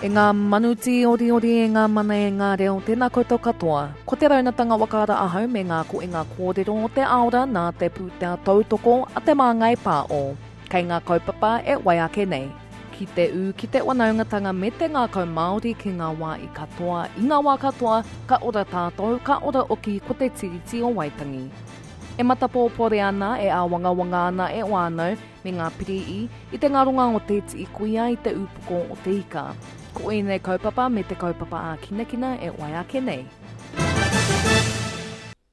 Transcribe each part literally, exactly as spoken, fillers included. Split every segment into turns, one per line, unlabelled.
E ngā manu tīoriori, e ngā mana, e ngā reo, tēnā koutou katoa. Ko te raunatanga whakaara ahau me ngā koinga kōrero o te aora nā te pūtea tautoko a Te Māngai Pāo. Kei ngā kaupapa e wai ake nei. Ki te ū, ki te wanaungatanga me te ngākau Māori ki ngā wā i katoa, i ngā wā katoa, ka ora tātou, ka ora oki ko te Tiriti o Waitangi. E matapōpore ana, e āwangawanga ana e whānau me ngā piri'i i te ngaronga o te tī kuia i te ūpoko o te ika. Ko ēnei kaupapa me te kaupapa ākinakina e wai ake nei.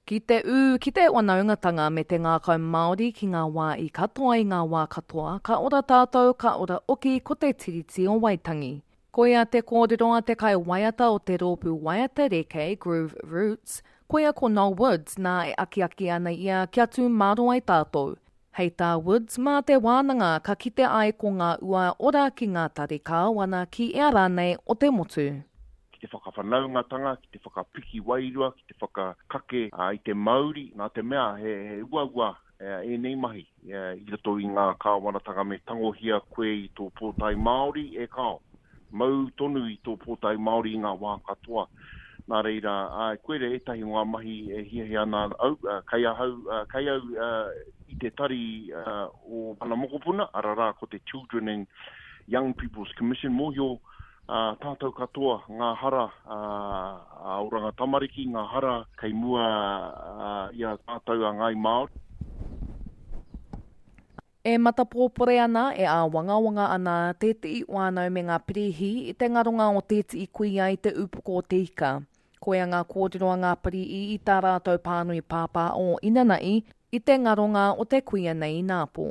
Ki te ū, ki te wanaungatanga me te ngākau Māori ki ngā wā i katoa i ngā wā katoa, ka ora tātou, ka ora oki ko te Tiriti o Waitangi. Koia te kōrero a te kai waiata o te rōpū waiata reke Groove Roots, koia ko Noel Woods nā e akiaki ana ia kia tū māro ai tātou. Hei tā Woods, mā te wānanga ka kite ai ko ngā ua ora ki ngā tari kāwana ki ea rānei o te motu.
Ki te whakawhanaungatanga, ki te whakapiki wairua, ki te whakakake i te mauri, nā te mea he, he uaua ēnei mahi i roto i ngā kāwanatanga me tangohia koe i tō pōtae Māori e kao. Mau tonu i tō pōtae Māori i ngā wā katoa. Nā reira, āe, koira ētahi o ngā mahi e hiahia ana au, kei ahau, kei au i te tari o Mana Mokopuna, ararā ko te Children and Young People's Commission, mōhio tātou katoa ngā hara a Oranga Tamariki, ngā hara kei mua i a tātou a Ngāi Māori.
E matapōpore ana, e āwangawanga ana tētehi whānau me ngā pirihi i te ngaronga o tētehi kuia i te ūpoko o te ika. Koia ngā kōrero a ngā pirihi i tā rātou pānui pāpā o inanahi i te ngaronga o te kuia nei inapō.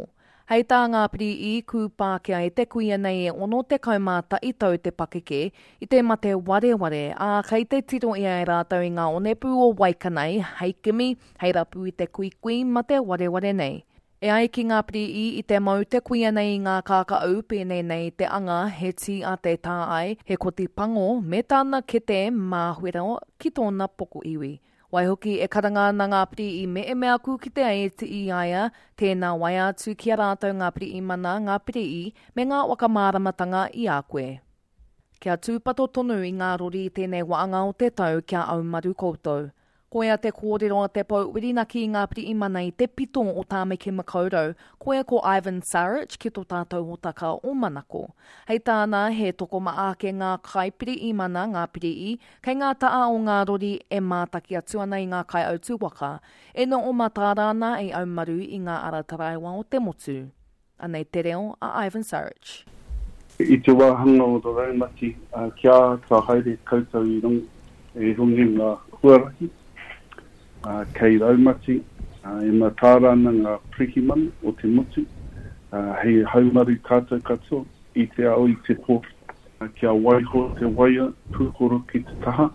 Hei tā ngā pirihi, kūpākia e te kuia nei e ono tekau mā tahi tau te pakeke i te mate wareware, ā, kei te tiro ia e rātou i ngā onepū o Waikanae hei kimi, hei rapu i te kuikui mate wareware nei. E ai ki ngā pirihi i te mau te kuia nei i ngā kākau pēnei nei te anga, he tī a te tāai, he koti pango, me tāna kete māwhero ki tōna pokoiwi. Waihoki e karanga ana ngā pirihi me e mea aku ki te ai e tii i a ia, tēnā waea atu ki a rātou ngā pirihimana, ngā pirihi, me ngā whakamāramatanga i a koe. Kia tūpato tonu i ngā rori i tēnei waanga o te tau kia aumaru koutou. Koia te kōrero a te pou whirinaki i ngā pirihimana i te pito o Tāmaki Makaurau, koia ko Ivan Saric ki tō tātou hōtaka o Manako. Hei tāna, he tokomaha ake ngā kaipirihimana, ngā pirihi, kei ngā taha o ngā rori e mātaki atu ana i ngā kaiautū waka, e noho mataara ana i aumaru i ngā ara taraiwa o te motu. Anei te reo a Ivan Saric.
I te wāhanga o te raumati, kia āta haere koutou i runga i ngā huarahi, kei raumati, e mataara ana ngā pirihimana o te motu, hei haumaru tātou katoa i te ao i te pō. Kia waiho te waia pūkoro ki te taha,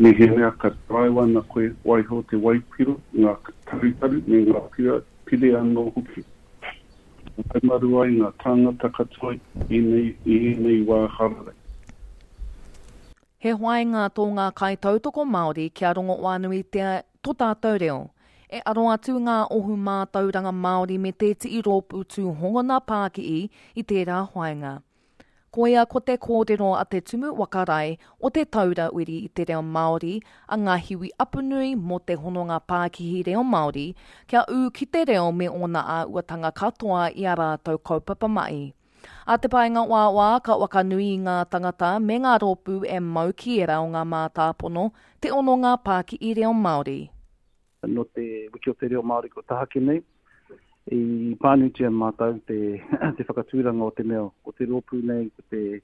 mehemea ka taraiwa ana koe, waiho te waipiro, ngā tarutaru me ngā pire anō hoki. Haumaru ai ngā tāngata katoa i ēnei wā hararei.
He whāinga tō ngā kaitautoko Māori kia rongo whānuitia tō tātou reo. E aro atu ngā ohu mātauranga Māori me tētehi rōpū tūhongona pākihi i tērā whāinga. Koia ko te kōrero a te Tumu Whakarae o te Taura Wiri i te Reo Māori a Ngāhiwi Apanui mō te hononga pākihi reo Māori kia ū ki te reo me ōna āhuatanga katoa i a rātou kaupapa mahi. A te paenga wāwā ka wakanui i ngā tangata me ngā rōpū e mau ki era o ngā mātāpono te hononga pākihi reo Māori.
Nō te wiki o te reo Māori ko tahaki nei, i pānuitia mātou te, te whakatūranga o te mea o te rōpū nei, ko te,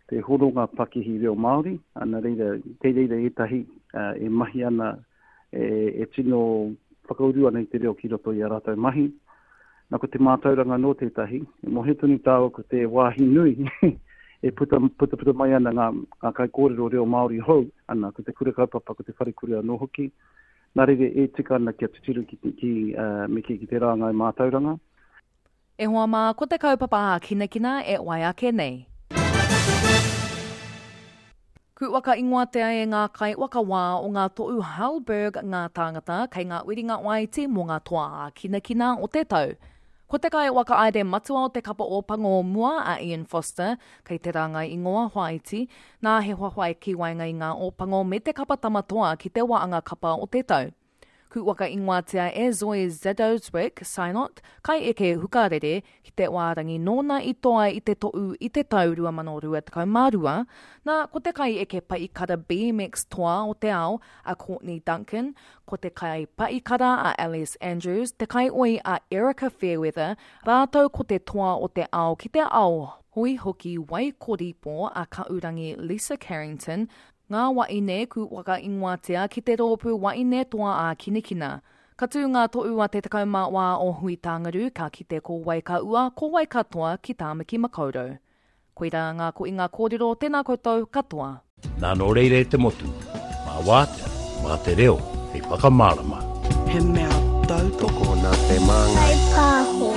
te hononga pakihi reo Māori, ana reira, kei reira ētahi uh, e mahi ana, e, e tino whakauru ana i te reo ki roto i a rātou mahi. Nā ko te mātauranga nō tētahi, e mōhio tonu tāua ko te wāhi nui e puta, puta, puta mai ana ngā, ngā kaikōrero reo Māori hou, ana ko te kura kaupapa, ko te wharekura anō hoki. Nā reira e tika ana kia tuturu ki, ki, uh, me ki, ki te rāngai mātauranga.
E hoa mā, ko te kaupapa ākinakina e wai ake nei. Ku waka ingoa te ai e ngā kai waka wā o ngā tohu Halberg ngā tāngata kei ngā uringa waiti mō ngā toa ākinakina o te tau. Ko te kai whakahaere matua o te kapa Ōpango o mua a Ian Foster, kei te rāngai ingoa whāiti, nā he whawhai ki waenga i ngā Ōpango me te kapa Tamatoa ki te waanga kapa o te tau. Ku whakaingoatia e Zoe Zadowswick Synott, kai eke hukarere, ki te wārangi nōna i toa i te to'u i te tau rua mano rua tekau mā rua, nā, ko te kai eke paikara B M X toa o te ao a Courtney Duncan, ko te kai paikara a Ellesse Andrews, te kai oi a Erika Fairweather, rātou ko te toa o te ao ki te ao hoi hoki Waikoripo a Kaurangi Lisa Carrington, ngā waine ku whakaingoatia ki te rōpū waine toa a Kinikina. Ka tū ngā to'u a te tekau mā wā o Hui Tāngaru ka kite ko wai ka ua, ko wai katoa ki Tāmaki Makaurau. Koirā ngā ko i ngā kōrero, tēnā koutou katoa.
Nā nō reira e te motu, mā wātea, mā te reo, hei whakamārama.
He mea tautoko
nā te māngai.
Kai pāho.